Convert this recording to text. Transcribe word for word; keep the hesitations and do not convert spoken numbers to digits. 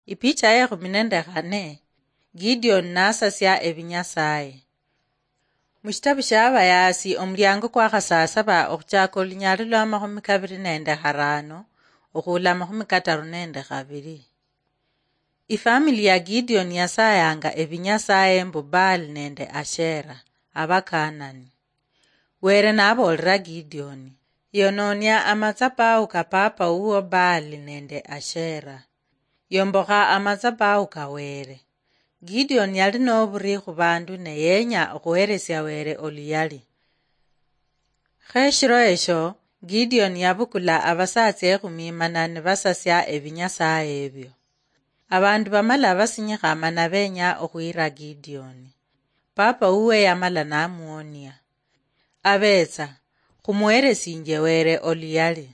Ipicha ya ekhumi nende khane. Gideon nasasia ebinyasaye. Mushitabu shia Abayaasi, omuliango kwa khasasaba, okhuchaka olunyali lwa makhumi kabiri nende kharano, okhula makhumi kataru nende khabiri. Ifamili ya Gideon yasayanga ebinyasaye mbu Baal nende Ashera, Abakanani. Were naboolera Gideon, "Yononia amatsabahu ka papa wuwo Baal nende Ashera. Yombokha amatsabahu ka Were." Gideon yali noburi khubandu ne yenya okhuheresia Were oluyali. Khe eshiro esho, Gideon yabukula abasatsa ekhumi mana nibasasia ebinyasaye ebyo. Abandu bamala basinyikha mana benya okhwira Gideon. Papa wuwe yamala namuonia, "Abetsa, khumuheresinje Were oluyali."